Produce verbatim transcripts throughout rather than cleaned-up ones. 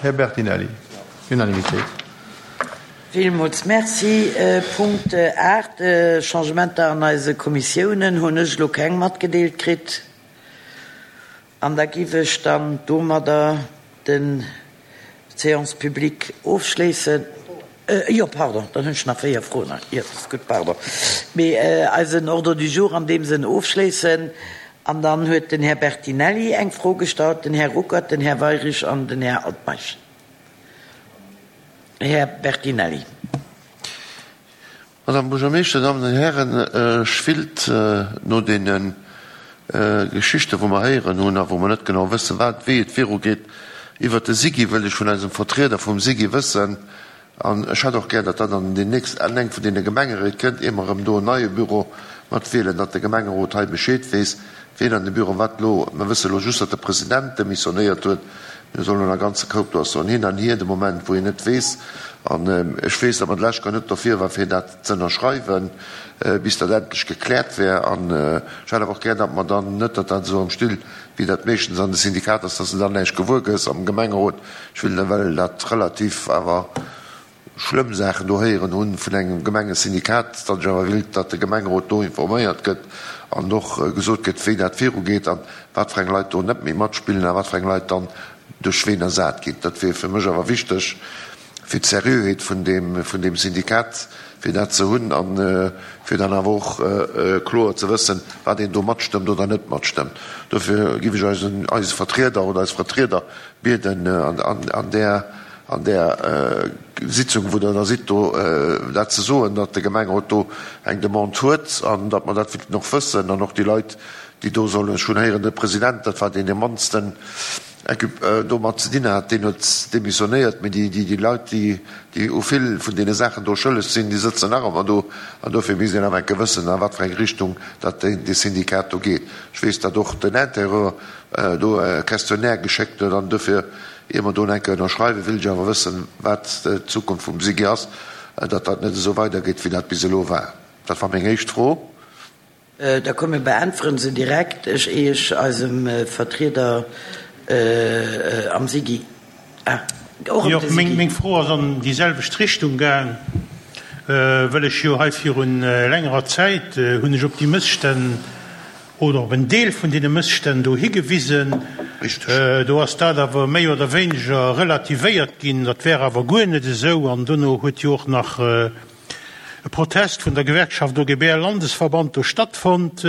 Här Bertinelli. Unanimitéit. Villmools Merci. Punkt aacht, Changementer an eise Kommissiounen, hunn ech elo keng matgedeelt kritt. An da giff ech dann domadder den d'Séance publique ofschléissen. Jo, pardon, dann hunn ech nach véier Froen. Jo, dat ass gutt, pardon. Mee eisen Ordre du jour an deem Sënn ofschléissen. An dann huet den Här Bertinelli eng Fro gestallt, den Här Ruckert, den Här Weyrich an den Här Altmeisch. Här Bertinelli. Madame Buergermeeschter, Dammen an Hären, ech willt no deene Geschichten, wou mer héieren hunn a wou mer net genau wëssen, wat, wéi et virugeet, iwwert de SIGI, wëll ech vun eisem Vertrieder vum SIGI wëssen, an ech hätt och gär, datt dat an déi nächst, an eng vun deene Gemengeréit kënnt, ier mer erëm do en neie Büro mat wielen, datt de Gemengerot hei Bescheed weess, wien an de Büro wat elo, mer wësse elo just, datt de President demissionéiert huet, mir soll elo e ganze Koup, do ass so en Hin an Hier de Moment, wou een net weess. An ech weess, datt mer d'lescht Kéier net dofir war, fir dat z'ënnerschreiwen, bis dat endlech gekläert wär. An ech hätt awer och gär, datt mer dann, net datt dat esou am Still, wéi dat meeschtens an de Syndikater ass, datt s de dann näischt gewuer gëss am Gemengerot. Ech will, well dat relativ awer schlëmm Saachen do héieren hunn vun engem Gemengesyndikat, datt ech awer willt, datt de Gemengerot do informéiert gëtt an och gesot gëtt, wéi dat virugeet an wat fir eng Leit do net méi matspillen a wat fir eng Leit dann duerch ween ersat ginn. Dat wier fir mech awer wichteg fir d'Seriöheet vun deem, vun deem Syndikat, fir dat ze hunn a fir dann awer och kloer ze wëssen, wat een do matstëmmt oder net matstëmmt. Dofir géif ech eisen, eise Vertrieder oder eis Vertrieder bieden, an, an, an där, an där Sitzung, wou Der da sidd, do dat ze soen, datt de Gemengerot do eng Demande huet an datt mer dat wéilten och wëssen an och déi Leit, déi do sollen, ech hunn héieren, de President, dat war deen, dee mannsten domat ze dinn hat, deen huet demissionéiert, mee déi, déi Leit, déi, déi u vill vun deene Saachen do schëlleg sinn, déi sëtzen nach ëmmer do. An dofir misst een awer enke wëssen, a wat fir eng Richtung datt dee Syndikat do geet. Ech weess, datt och den Intérieur do e Questionnaire geschéckt huet. An dofir, ier mer do enke ënnerschreiwen, wéilt ech awer wëssen, wat d'Zukunft vum SIGI ass, datt dat net esou weidergeet, wéi dat bis elo war. Dat war meng éischt Fro. Da komm, mir beäntweren se direkt. Ech, éi ech eisem Vertrieder am SIGI, ah, och ëm de SIGI. Meng Fro ass an déi selwecht Richtung gaang, wëll ech jo hei virun längerer Zäit hunn ech op déi Mësstänn oder op en Deel vun deene Mësstänn do higewisen. Do ass dat awer méi oder wéineger relativéiert ginn, dat wär awer guer net esou. An dono huet jo och nach e Protest vun der Gewerkschaft O G B L-Landesverband do stattfonnt.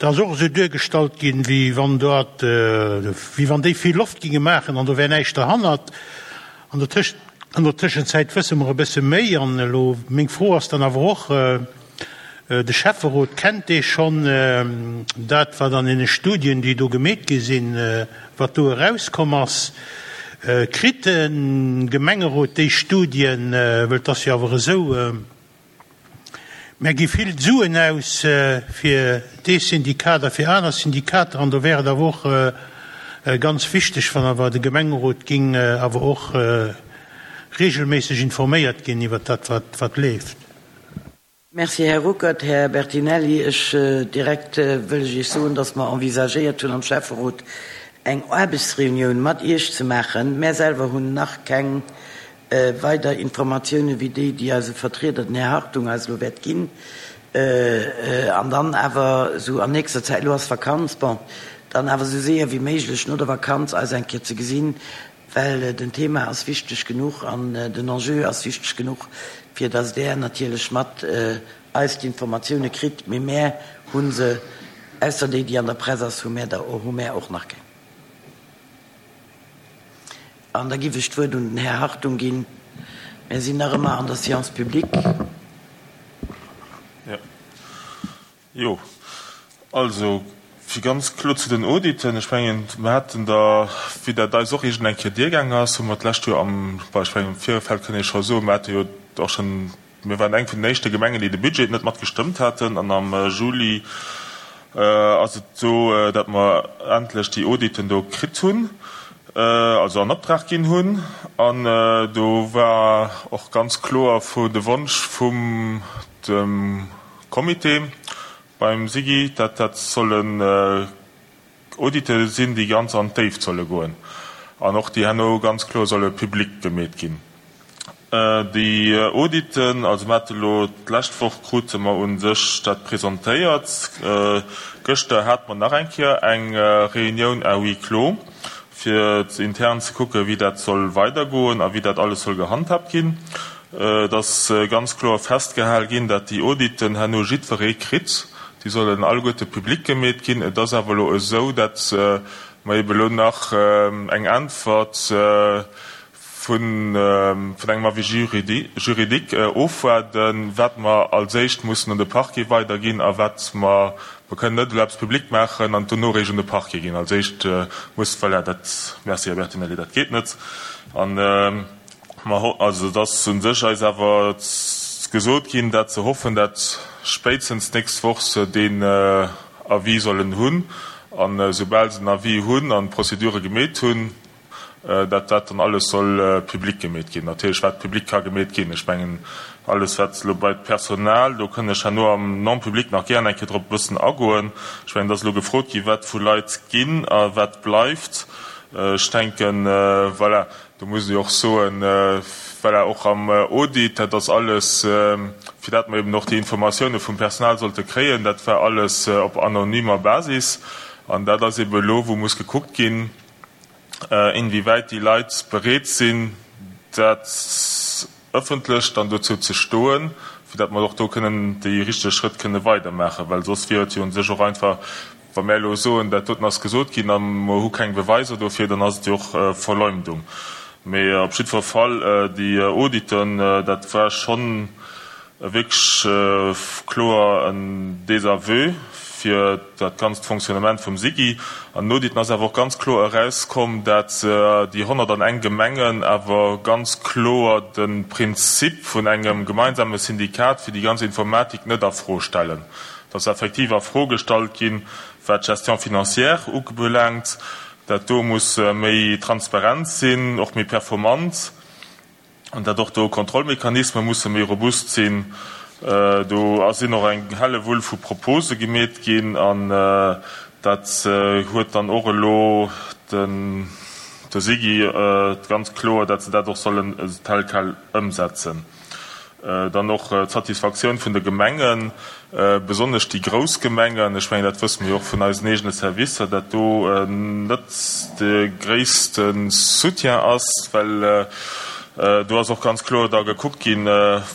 Dat ass och esou duergestallt ginn, wéi wann dat, wéi wann déi vill Loft ginge maachen an do wär näischt derhannert. An der Tësch, an der Tëschenzäit wësse mer e bësse méi. An elo meng Fro ass dann awer och, de Schäfferot, kennt dee schonn dat, wat an deene Studien, déi do gemeet gi sinn, wat do erauskomm ass? Kritt de Gemengerot déi Studien, well et ass jo awer esou, mär gi vill Suen aus fir dee Syndikat a fir aner Syndikater, an do wär et awer och ganz wichteg, wann awer de Gemengerot géing awer och regelméisseg informéiert ginn iwwert dat, wat leeft. Merci, Här Ruckert. Här Bertinelli, ech direkt wëll ech Iech soen, dass mer envisagéiert hunn am Schäfferot eng Aarbechtsreunioun mat Iech ze maachen. Mär selwer hunn nach keng weider Informatiounen wéi déi, déi eise Vertrieder, den Här Hartung, eis elo wäert ginn. An dann awer esou an nächster Zäit, elo ass Vakanz, bon, dann awer esou séier wéi méiglech no der Vakanz eis eng Kéier ze gesinn, well den Thema ass wichteg genuch an den Enjeu ass wichteg genuch, fir dass Der natierlech mat eis d'Informatioune kritt. Mee mär hu se, ausser déi, déi an der Press ass, hu mär der, hu mär och nach keng. An da giff ech d'Wuert un den Här Hartung ginn. Mär sinn nach ëmmer an der Séance publique. Jo, also fir ganz kloer zu den Auditen, ech mengen, mir haten der, wéi dat eis och iergend eng Kéier diergaang ass, hu mer d'lescht Joer am, bon, ech mengen, am Virfeld kënn ee scho soen, mir hate jo och schonn, mir waren eng vun den éischte Gemengen, déi de Budget net mat gestëmmt haten an am Juli ass et esou, datt mer endlech déi Auditen do kritt hunn, also an Optrag ginn hunn an do war och ganz kloer vu de Wonsch vum dem Comité beim SIGI, datt dat sollen Audite sinn, déi ganz an d'Déift solle goen. an och déi herno ganz kloer solle public gemeet ginn. Déi Auditen, also mer hate elo d'lescht Woch krute mer u sech dat presentéiert, gëschter hate mer nach eng Kéier eng Reunioun à huis clos, fir intern ze kucken, wéi dat soll weidergoen a wéi dat alles soll gehandhaabt ginn. Et ass ganz kloer festgehal ginn, dat déi Auditen herno jiddweree kritt. Déi sollen alleguerte public gemeet ginn. Et ass awer elo esou, dat mer ebe elo nach eng Äntwert vun engem Avis juridique ofwaarden, wat mer als éischt mussen un de Parquet weiderginn a wat mer, mer kënnen net elo eppes public maachen an dono eréischt un de Parquet ginn. Als éischt muss, voilà, dat, merci Här Bertinelli, dat geet net. An mer, also et ass u sech eis awer gesot ginn, dat se hoffen, dat spéitstens d'nächst Woch se deen Avis sollen hunn. An esoubal se den Avis hunn an d'Procédure gemeet hunn, dat dat dann alles soll public gemeet ginn. Natierlech wat public ka gemeet ginn. Ech mengen, alles wat elo bei d'Personal, do kënn ech herno am Non-public nach gären eng Kéier drop e bëssen agoen. Ech mengen, et ass elo gefrot gi wat vu Leit ginn a wat bleift. Ech denken, voilà, do muss ee jo och soen, voilà, och am Audit, dat ass alles, fir dat mer eben och déi Informatioune vum Personal sollte kréien, dat war alles op anonymer Basis. An dat ass eben elo, wou muss gekuckt ginn, inwiewäit déi Leit bereet sinn, dat ëffentlech dann dozou ze stoen, fir datt mer och do kënnen déi richteg Schrëtt kënne weidermaachen. Well soss wier et jo u sech och einfach, wa mär elo soen, dat doten ass gesot ginn a mer hu keng Beweiser dofir, dann ass et jo och Verleumdung. Mee op jiddwer Fall, déi Auditen, dat war schonn wierklech kloer en Désaveu fir dat ganzt Fonctionnement vum SIGI. An den Auditen ass awer och ganz kloer erauskomm, dat déi honnert an eng Gemengen awer ganz kloer de Prinzip vun engem gemeinsame Syndikat fir déi ganz Informatik net a Fro stellen. Et ass effektiv a Fro gestallt ginn, wat d'Gestion financière ubelaangt. Dat do muss méi transparent sinn, och méi performant, an dat och do Kontrollmechanisme musse méi robust sinn. Do sinn och eng Hellewull vu Propose gemeet ginn, an dat huet dann och elo de SIGI ganz kloer, dat se dat och sollen tel quel ëmsetzen. Dann och d'Satisfaktioun vun de Gemengen, besonnesch déi grouss Gemengen, ech mengen, dat wësse mir jo och vun eisen eegene Servicer, dat do net de gréisste Soutien ass, well do ass och ganz kloer da gekuckt ginn,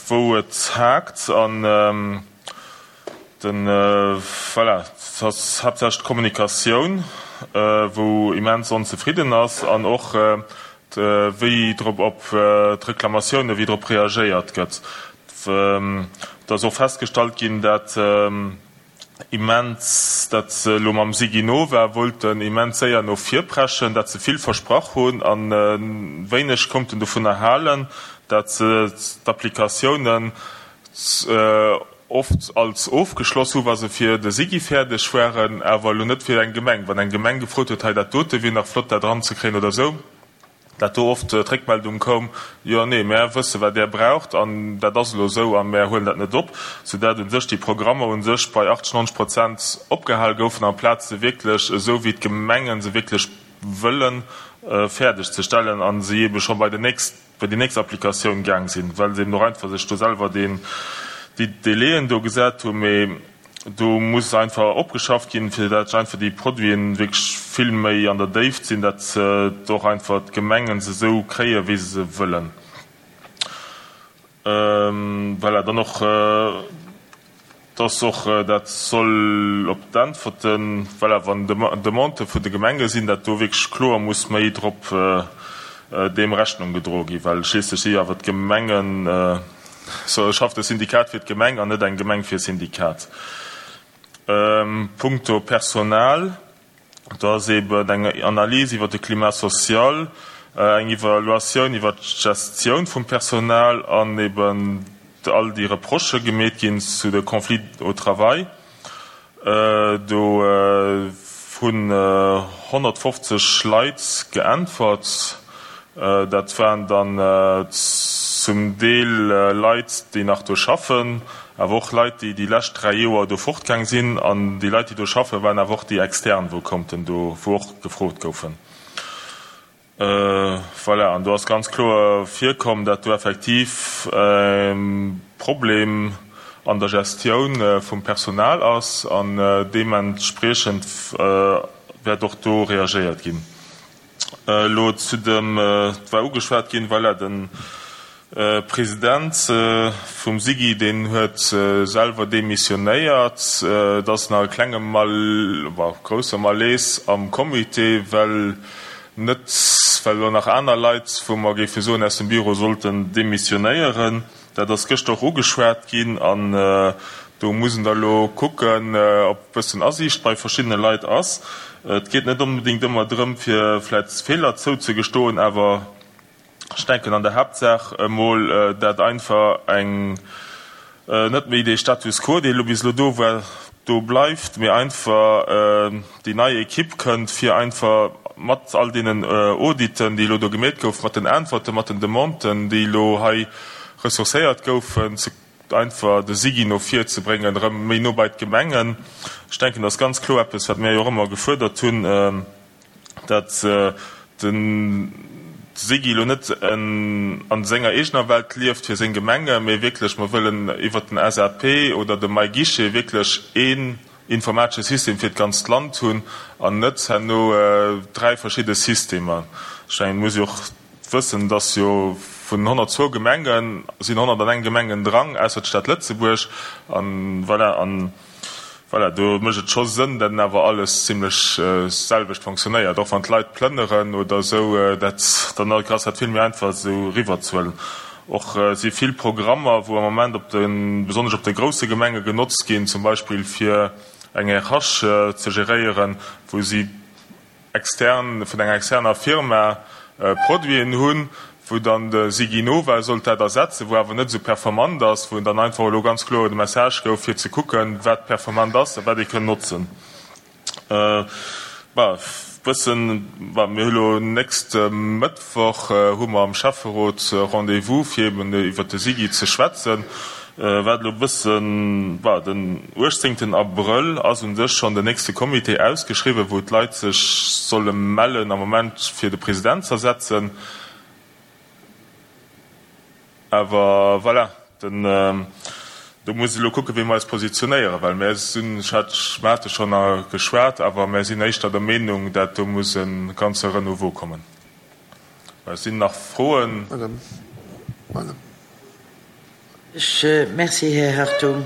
wou et haakt. An de, voilà, et ass haaptsächlech d'Kommunikatioun, wou immens onzefridden ass, an och wéi drop op d'Reklamatioune wéi drop reagéiert gëtt. Et ass och festgestallt ginn, dat immens, dat se elo mam Siginova wollten immens séier no vir preschen, dat se vill versprach hunn a wéineg konnten dovunner halen, dat se d'Applikatiounen oft als ofgeschloss hu wa se fir de SIGI fäerdeg waren, awer elo net fir eng Gemeng. Wann eng Gemeng gefrot huet, hei dat dote wier nach flott dat eranzekréien oder esou, dat do oft d'Réckmeldung koum, Jo, nee, mär wësse wat Där braucht an dat ass elo esou a mär huelen dat net op, soudatt u sech déi Programmer u sech bei achtzeg, neunzeg Prozent opgehal goufen, amplaz se wierklech esou wéi d'Gemengen se wierklech wëllen fäerdeg ze stellen a se eebe scho bei den nächst, bei déi nächst Applikatioun gaang sinn, well se eben och einfach sech do selwer deen, déi Délaiën do gesat hunn. Mee do muss einfach opgeschafft ginn, fir dat einfach déi Produiten wierklech vill méi an der Déift sinn, dat och einfach d'Gemengen se esou kréien, wéi se se wëllen. Voilà, dann och, dass och dat soll op d'Äntwerten, voilà, wann Demandë vun de Gemenge sinn, dat do wierklech kloer muss méi drop deem Rechnung gedroe ginn, well schliisslech si jo awer d'Gemengen, So schafft e Syndikat fir d'Gemeng an net eng Gemeng fir e Syndikat. Punkto Personal, do ass eeben eng Analys iwwer de Climat social, eng Evaluatioun iwwer d'Gestioun vum Personal an eeben all déi Reprochë gemeet ginn zu de Conflits au travail. Do hunn honnertfofzeg Leit geäntwert. Dat waren dann zum Deel Leit, déi nach do schaffen, awer och Leit, déi déi lescht dräi Joer do fortgaang sinn. An déi Leit, déi do schaffen, waren awer och déi Extern, wou konnten do, wou och gefrot goufen. Voilà, an do ass ganz kloer virkomm, dat do effektiv e Problem an der Gestioun vum Personal ass an deementspriechend wäert och do reagéiert ginn. Elo zu dem, et war ugeschwat ginn, voilà, de President vum SIGI, deen huet selwer demissionéiert. Et ass nach e klenge Mal, bon, grousse Malaise am Comité, well net, well elo nach aner Leit, wou mer géife soen, aus dem Büro sollten demissionéieren. Dat ass gëschter och ugeschwat ginn an do muss en da elo kucken, ob e bëssen Asiicht bei verschiddene Leit ass. Et geet net onbedéngt ëmmer drëm, fir vläicht Feeler zouzegestoen, awer ech denken an der Haaptsaach emol, dat einfach eng net méi dee Status quo, dee elo bis elo do war, do bleift, mee einfach déi nei Equipe kënnt, fir einfach mat all deenen Auditen, déi elo do gemeet goufen, mat den Äntwerten, mat den Demanden, déi elo hei ressourcéiert goufen, ze einfach de SIGI no vir ze bréngen, erëm méi no bei d'Gemengen. Ech denken, dat ass ganz kloer eppes, wat mir jo och ëmmer gefuerdert hunn, dat de SIGI elo net a senger eegener Welt lieft fir seng Gemenge, mee wierklech mer wëllen iwwert den S A P oder de MyGuichet wierklech een informatesche System fir d'ganzt Land hunn an net herno dräi verschidde Systemer. Ech mengen, et muss ee och wëssen, dass jo vun honnertzwou Gemenge sinn honnerteng Gemengen dran, ausser d'Stad Lëtzebuerg, an voilà, an voilà, do mécht et scho Sënn, dat awer alles zimlech selwecht fonctionnéiert, och wann d'Leit plënneren oder esou, dat dann ass dat vill méi einfach esou riwwerzehuelen. Och si vill Programmer, wou am Moment op de besonnesch op de grousse Gemenge genotzt ginn, zum Beispill fir eng R H ze geréieren, wou si extern vun enger externer Firma Produiten hunn, wou dann de SIGINOVA sollt dat ersetzen, wou awer net esou performant ass, wou dann einfach elo ganz kloer de Message gouf, fir ze kucken, wat performant ass a wat ee kënn notzen. Bah, bëssen, bah, mir hu lo nächste Mëttwoch hu mer am Schäfferot Rendez-vous, fir eben iwwert de SIGI ze schwätzen. Wat elo bëssen, bah, den uechtzéngten Abrëll ass un sech schonn den nächste Comité ausgeschriwwen, wou d'Leit sech solle mellen am Moment fir de President ze ersetzen. Awer voilà, den, do muss ee elo kucken, wéi mer eis positionéieren, well mär sinn, ech hat, mer hate schonn geschwat, awer mär sinn éischter der Meenung, dat do muss e ganze Renouveau kommen. Et sinn nach Froen. Madame, Madame. Ech, merci, Här Hartung.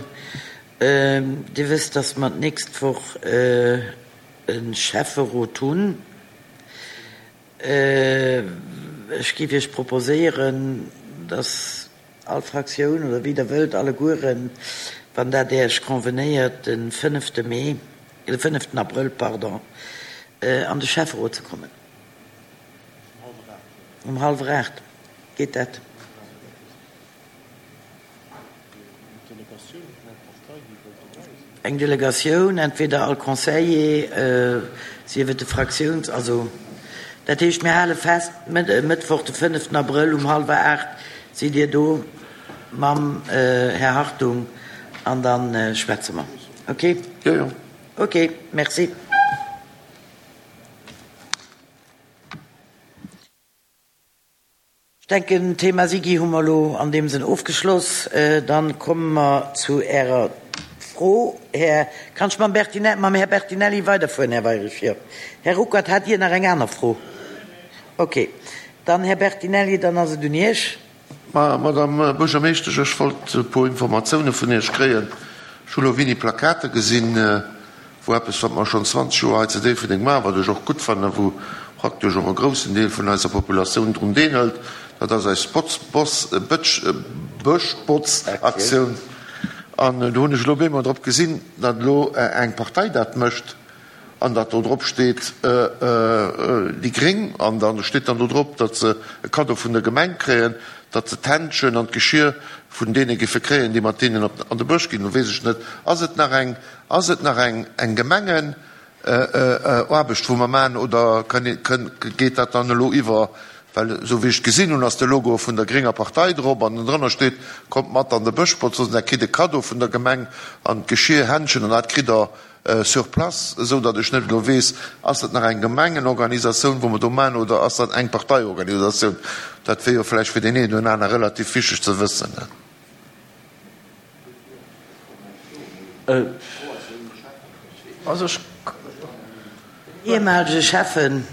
Dir wësst, dass mer d'nächst Woch e Schäfferot hunn. Ech géif Iech proposéieren, dass all Fraktioun, oder wéi Der wëllt, allegueren, wann dat Iech convenéiert, de fënnefte Mee, de fënneften Abrëll, pardon, an de Schäfferot ze kommen. Um hallwer aacht. Geet dat? Eng Delegatioun, entweder all Conseiller, sief et de Fraktiouns-, also dat heescht, mir hale fest, Mëttwoch de fënneften Abrëll um hallwer aacht sidd Dir do mam Här Hartung an da schwätze mer. Okay? Jo, jo. Okay, merci. Ech denken, d'Thema SIGI hu mer elo an deem Sënn ofgeschloss. Dann komme mer zu Ärer Fro, Här, kann ech mam Bertinelli, mam Här Bertinelli weiderfueren, Här Weirich? Jo. Här Ruckert, hat Dir nach eng aner Fro? Okay. Dann, Här Bertinelli, dann ass et un Iech. Ma, Madame Buergermeeschtesch, ech wollt e puer Informatioune vun Iech kréien. Ech hu lo wéini Plakate gesinn, wou eppes, wat mer schonn zwanzeg Joer hei zu Déifferdeng maachen, wat ech och gutt fannen, wou praktesch och e groussen Deel vun eiser Populatioun drun deelhëlt, dat ass eis Bëschbotzaktioun. An do hunn ech elo bemol drop gesinn, datt elo eng Partei dat mécht an datt do drop steet déi Gréng an da steet dann do drop, datt se e Kaddo vun der Gemeng kréien, datt se d'Händschen an d'Geschir vun deene géife kréien, déi mat deenen an de Bësch ginn. Lo weess ech net, ass et nach eng, ass et nach eng, eng Gemengenaarbecht, wou mer maachen, oder geet dat dann elo iwwer, well esou wéi ech et gesinn hunn, ass de Logo vun der grénger Partei drop an drënner steet, Kommt mat an de Bëschbotz, soss der kritt e Kaddo vun der Gemeng an d'Geschir, Händschen an dat kritt der. sur place, esou datt ech net elo weess, ass dat nach eng Gemengenorganisatioun, wou mer do maachen, oder ass dat eng Parteiorganisatioun? Dat wier jo vläicht fir deen een oder aner relativ wichteg ze wëssen. Den ehemalige Schäffen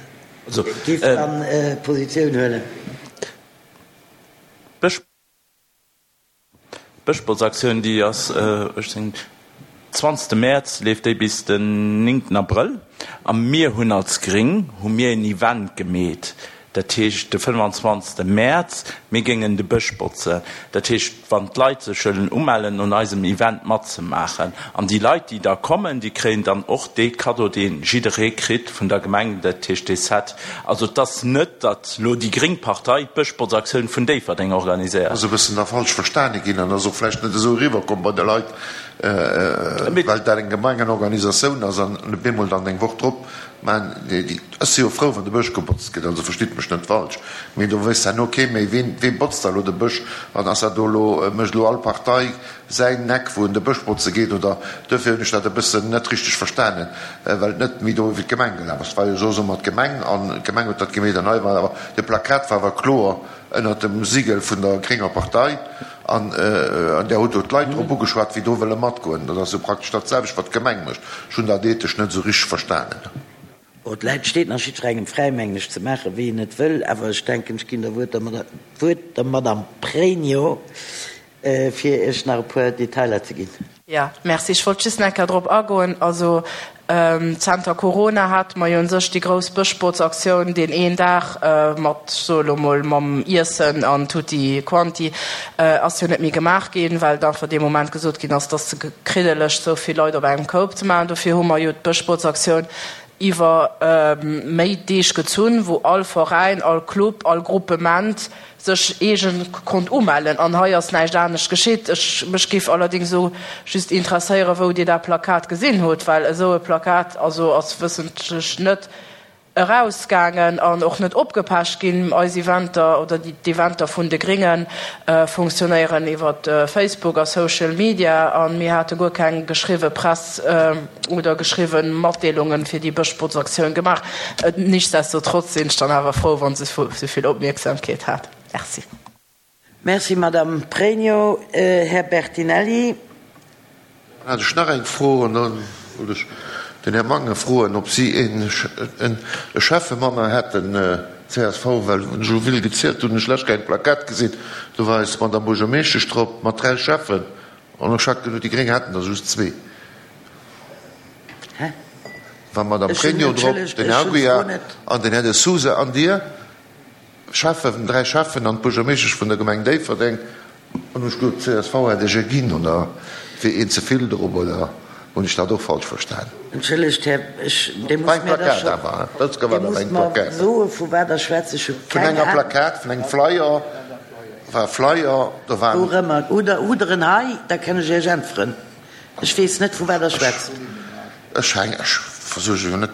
géif dann Positioun huelen. D'Bëschbotzaktioun, déi ass uechtzéng, zwanzegste Mäerz, leeft déi bis den néngten Abrëll. A mir hunn als Gréng hu mir en Event gemeet, dat heescht de fënnefanzwanzegste Mäerz, mir géingen de Bësch botzen. Dat heescht, wann d'Leit sech wëllen umellen, un eisem Event matzemaachen. An déi Leit, déi da kommen, déi kréien dann och dee Kaddo, dee jidderee kritt vun der Gemeng, dat heescht dee Set. Also et ass net, datt elo déi gréng Partei d'Bëschbotzaktioun vun Déifferdeng organiséiert. Ass e bëssen da falsch verstane ginn an ass och vläicht net esou eriwwerkomm bei de Leit, well dat eng Gemengenorganisatioun ass an op eemol dann eng Woch drop, mä déi, ech si jo frou, wann de Bësch gebotzt gëtt, also verstitt mech net falsch, mee do wéisst herno kee méi, ween, wee botzt da elo de Bësch an ass dat do elo, mécht elo all Partei säin Eck, wou en de Bësch botze geet oder, duerfir hunn ech dat e bëssen net richteg verstanen, well et net méi do iwwer d'Gemeng gelaf ass. Et war jo soss ëmmer d'Gemeng an d'Gemeng huet dat gemeet an hei war awer, de Plakat war awer kloer ënnert dem Sigel vun der grénger Partei an där hutt do d'Leit drop ugeschwat, wéi do wëlle matgoen. Dat ass jo praktesch dat selwecht, wat d'Gemeng mécht. Ech hunn dat ethesch net esou richteg verstanen. Bon, d'Läit steet nach jiddwerengem fräi, mengen ech, ze maachen, wéi en et wëll. Awer ech denken, ech ginn der Wuert der d'Wuert der Madame Pregno, fir Iech nach e puer Detailer ze ginn. Jo, merci. Ech wollt just nach eng Kéier drop agoen. Also zenter Corona hate mer jo un sech déi grouss Bëschbotzaktioun, deen een Dag mat, ech soe lo mol, mam Iessen an tutti quanti, ass jo net méi gemaach ginn, well et einfach dee Moment gesot ginn ass, et ass ze kriddeleg, esou vill Leit op engem Koup ze maachen. Dofir hu mer jo d'Bëschbotzaktioun iwwer méi Deeg gezunn, wou all Veräin, all Club, all Gruppement sech eegen konnt umellen. An hei ass näischt anescht geschitt. Ech, mech géif allerdéngs elo just interesséieren, wou Dir dat Plakat gesinn hutt, well esou e Plakat, also ass wëssentlech net erausgaangen an och net opgepecht ginn. Eis Eventer oder d'Eventer vun de Grénge funktionéieren iwwer Facebook a Social Media a mir hate guer keng geschriwwe Press oder geschriwwe Matdeelunge fir déi Bëschbotzaktioun gemaach. Nichtsdestotrotz sinn ech dann awer frou, wa se sou vill Opmierksamkeet hat. Merci. Merci, Madame Pregno. Här Bertinelli. Dann hat ech nach eng Fro an da wollt ech den Här Mangen froen, ob si e Schäffe manner hätten, csv, well wann ech elo vill gezielt hunn, hunn ech lech keng Plakett gesinn, do war eis Madame Buergermeeschtesch drop mat dräi Schäffen an ech hat geduet, déi Gréng hätten der just zwee. War d'Madame Pregno drop, den Här Aguiar an den Här De Sousa an Dir. Schäffen, dräi Schäffen an d'Buergermeeschtesch vun der Gemeng Déifferdeng. An ech gesot, csv hätt ech e ginn, oder wier een ze vill drop, oder hunn ech dat och falsch verstan? Entschëllegt, Här, ech, Dir musst mir da scho, Dir musst mer soen, vu wat Der schwätzt. Ech hu keng Ahnung. Vun enger Plakat, vun engem Flyer, war e Flyer, do waren. Wou erëmmer? Hutt Der, hutt Der en hei? Da kann ech Iech äntweren. Ech weess net, vu wat Der schwätzt. Ech heng, ech versuerge jo net,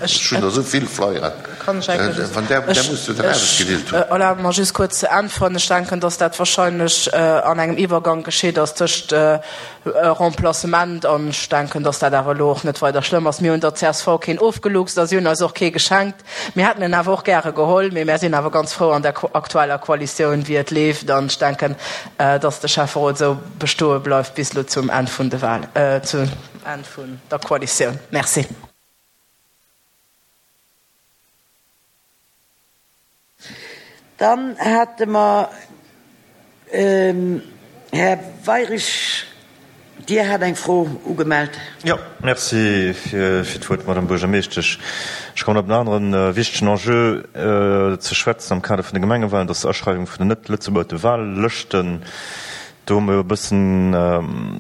ech hunn der esou vill Flyeren, wann där, där muss jo dann ausgedeelt hunn. Erlaabt mer just kuerz ze äntweren. Ech denken, datt dat wahrscheinlech an engem Iwwergank geschitt ass tëscht Remplacement an ech denken, datt dat awer elo och net weider schlëmm ass. Mir hunn der csv keen ofgeluchst a si hunn eis och kee geschenkt. Mir hätten en awer och gäre geholl, mee mär sinn awer ganz frou an der aktueller Koalitioun, wéi et leeft an ech denken, datt de Schäfferot esou bestoe bleift bis elo zum Enn vun de Wahlen, zum Enn vun der Koalitioun. Merci. Dann hate mer, Här Weirich, Dir hat eng Fro ugemellt. Jo, merci fir d'Wuert, Madame Buergermeeschtesch. Ech kommen op en anere wichtegen Enjeu ze schwätzen am Kader vun de Gemengewahlen, dat ass d'Aschreiwung vun den net-lëtzebuerger Wahllëschten. Do hu mer jo e bëssen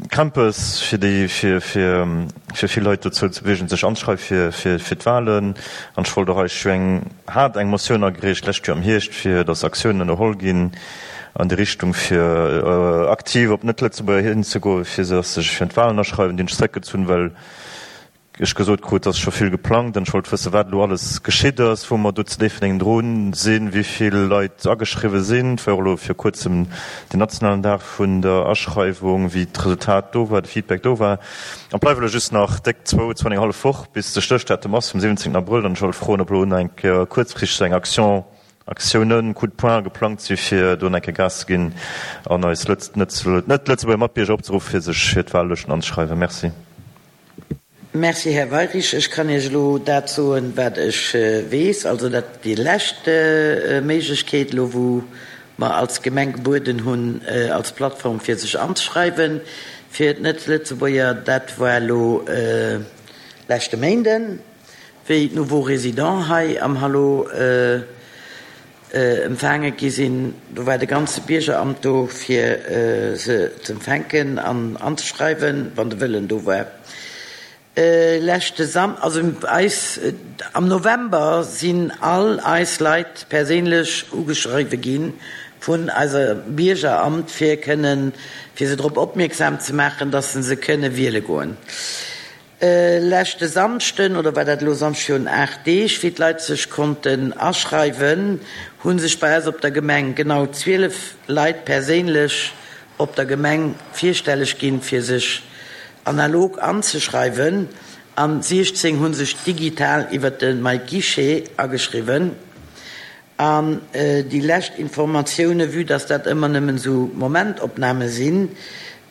Krämpes, fir déi, fir, fir, fir vill Leit dozou ze beweegen, sech anzeschreiwe fir, fir, fir d'Wahlen. An ech wollt och eis jo eng, hat eng Motioun agereecht d'lescht Joer am Hierscht, fir datt Aktiounen ënnerholl ginn an déi Richtung, fir aktiv op Net-Lëtzebuerger hinzegoen, fir se, datt se sech fir d'Wahlen aschreiwen. Déi hunn ech zréckgezunn, well ech gesot krut, dass scho vill geplangt an ech wollt wëssen, wat elo alles geschitt ass, wou mer do zu Déifferdeng drun sinn, wéi vill Leit ageschriwwe sinn. Et war och elo vir kuerzem den nationalen Dag vun der Aschreiwung, wéi d'Resultat do war, de Feedback do war. An et bleiwe elo just nach déck zwou, zwou an eng hallef Woch, bis de Stéchdatum ass vum siwwenzéngten Abrëll. An ech wollt froen, ob elo nach eng Kéier kuerzfristeg eng Action, Aktiounen, Coup de poing geplangt si fir do nach eng Kéier Gas ze ginn an eis net-Lëtzebuerger Matbierger opzeruffen, fir sech fir d'Wahllëschten anzeschreiwen. Merci. Merci, Här Weirich. Ech kann Iech elo dat soen, wat ech weess. Also dat, déi lescht Méiglechkeet elo, wou mer als Gemeng gebueden hunn als Plattform, fir sech anzeschreiwen fir d'Net-Lëtzebuerger, dat war elo leschte Méinden, wéi d'Nouveaux Résidents hei am Hallo empfaange gi sinn. Do war de ganze Biergeramt do, fir se z'empfänken an anzeschreiwen, wann de Wëllen do war. Leschte Sam, also eis, am November sinn all eis Leit perséinlech ugeschriwwe gi vun eiser Biergeramt, fir kënnen, fir se drop opmierksam ze maachen, dass se se kënne wiele goen. Leschte Samschden, oder war dat elo Samschd virun aacht Deeg, wéi d'Leit sech konnten aschreiwen, hu sech bei eis op der Gemeng genau zwielef Leit perséinlech op der Gemeng virstelleg ginn, fir sech analog anzeschreiwen, an siechzéng hu sech digital iwwer de MyGuichet ageschriwwen. An déi lescht Informatioune, vue dass dat ëmmer nëmmen esou Momentopname sinn,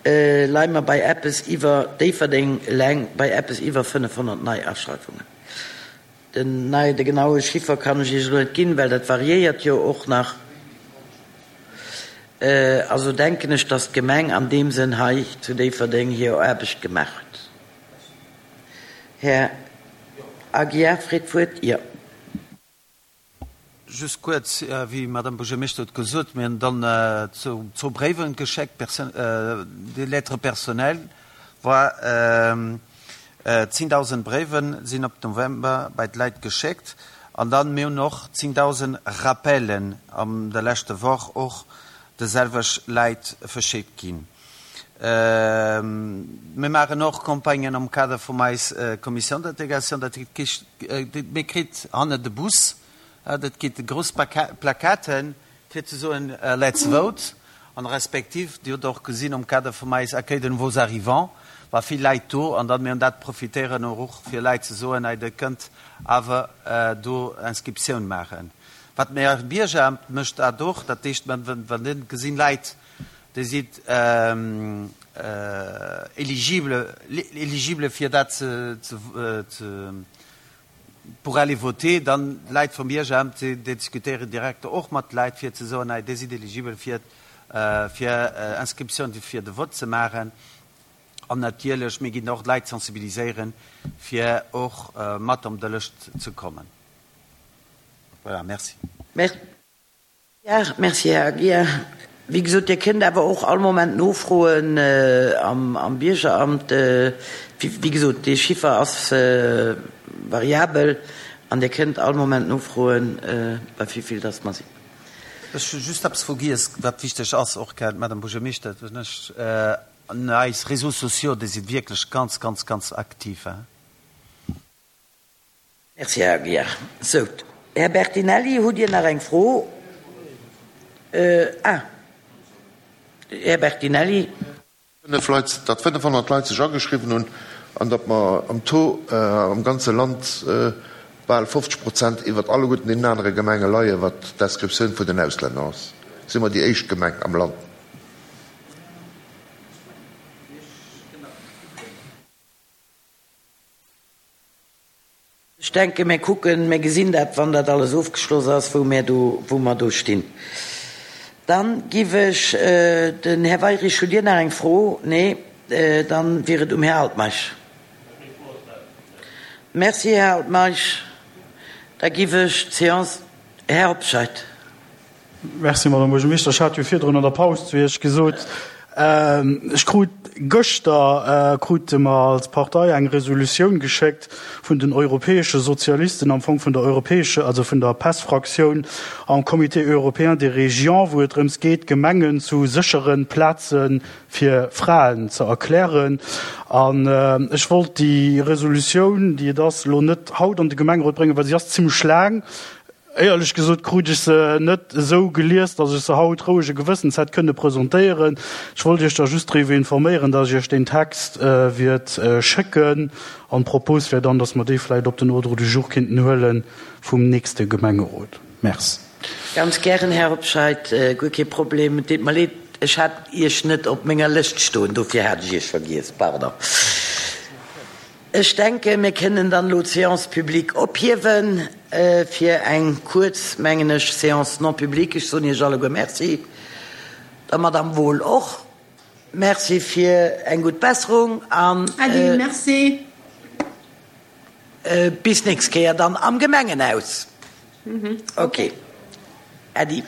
leie mer bei eppes iwwer, Déifferdeng eleng, bei eppes iwwer fënnefhonnert Neiaschreiwungen. Den nei, de genaue Chiffer kann ech Iech elo net ginn, well dat variéiert jo och nach. Also denken ech, dass d'Gemeng an deem Sënn hei zu Déifferdeng hir Aarbecht gemaach huet. Här Aguiar freet d'Wuert. Jo. Just kuerz, wéi d'Madame Buergermeeschter huet gesot, mir hunn dann zwou Bréiwen geschéckt, des lettres personnelles, war zéngdausend Bréiwen sinn op November bei d'Leit geschéckt. An dann, mir hunn och zéngdausend Rappellen an der leschte Woch och de selwech Läit verschéckt ginn. Mir maachen och Campagnen am Kader vum eis Commission d'intégration. Dat heescht, mir kritt hanne de Bus, dat gitt grouss Plakaten, fir ze soen Let's vote. An respektiv, Dir hutt och gesinn am Kader vum eis Accueil de nouveaux arrivants, war vill Läit do. An dann, mir hunn dat profitéieren och fir Läit ze soen, hei Dir kënnt awer do Inscriptioun maachen. Wat mir Biergeramt mécht dat och, dat heescht, wann dir gesinn Läit, déi si éligible, éligible fir dat ze, ze, pour aller voter, dann d'Leit vum Biergeramt, déi diskutéieren direkt och mat Leit fir ze soen, hei Dir sidd éligibel fir, fir Inscriptioun fir de Vote ze maachen. An natierlech, mir ginn och d'Leit sensibiliséieren, fir och mat op de Lëscht ze kommen. Voilà, merci. Merci, Här Aguiar. Wéi gesot, Dir kënnt awer och all Moment nofroen am Biergeramt. Wéi gesot, dee Chiffer ass variabel an Dir kënnt all Moment nofroen, bei wéi vill dass mer sinn. Ech hu just eppes vergiess, wat wichteg ass, och, Madame Buergermeeschter, ech, eis Réseaux sociaux, déi si wierklech ganz, ganz, ganz aktiv. Merci, Här Aguiar. Sou, Här Bertinelli, hutt Dir nach eng Fro? Ah, Här Bertinelli. Fënnef Leit, datt fënnefhonnert Leit sech ageschriwwen hunn an datt mer am Taux am ganze Land bal fofzeg Prozent iwwert alleguerten deenen anere Gemenge leien, wat d'Inscriptioun vun den Auslänner ass, si mer déi éischt Gemeng am Land. Ech denken, mir kucken, mir gesinn dat, wann dat alles ofgeschloss ass, wou mir do, wou mer do stinn. Dann giff ech den Här Weirich, hutt Dir nach eng Fro? Nee? Dann wier et um Här Altmeisch. Merci, Här Altmeisch. Da giff ech d'Séance, Här Hobscheit. Merci, Madame Buergermeeschter. Ech hat jo virdrun an der Paus zu Iech gesot, Ech krut gëschter, krute mer als Partei eng Resolutioun geschéckt vun den europäesche Sozialisten, am Fong vun der europäesche, also vun der PES-Fraktioun am Comité européen des régions, wou et drëms geet, d'Gemengen zu séchere Plaze fir Fraen ze erklären. An ech wollt déi Resolutioun, déi et ass, elo net haut an de Gemengerot bréngen, well si ass zimlech laang. Éierlech gesot krut ech se net esou gelies, datt ech se haut rouege Gewëssens hätt kënne presentéieren. Ech wollt Iech da just driwwer informéieren, datt ech Iech deen Text wiert schécken. An d'Propos wär dann, datt mer dee vläicht op den Ordre du jour kéinten huele vum nächste Gemengerot. Merci. Ganz gären, Här Hobscheit, guer kee Problem. Et deet mer leed, ech hat Iech net op menger Lëscht stoen, dofir hat ech Iech vergiess. Pardon. Ech denken, mir kënnen dann elo d'Séance publique ophiewen fir eng kuerz, mengen ech, Séance non publique. Ech soen Iech alleguer Merci, der Madame Wohl och Merci fir eng gutt Besserung an Äddi, merci. Bis nächst Kéier dann am Gemengenhaus. Okay. Äddi.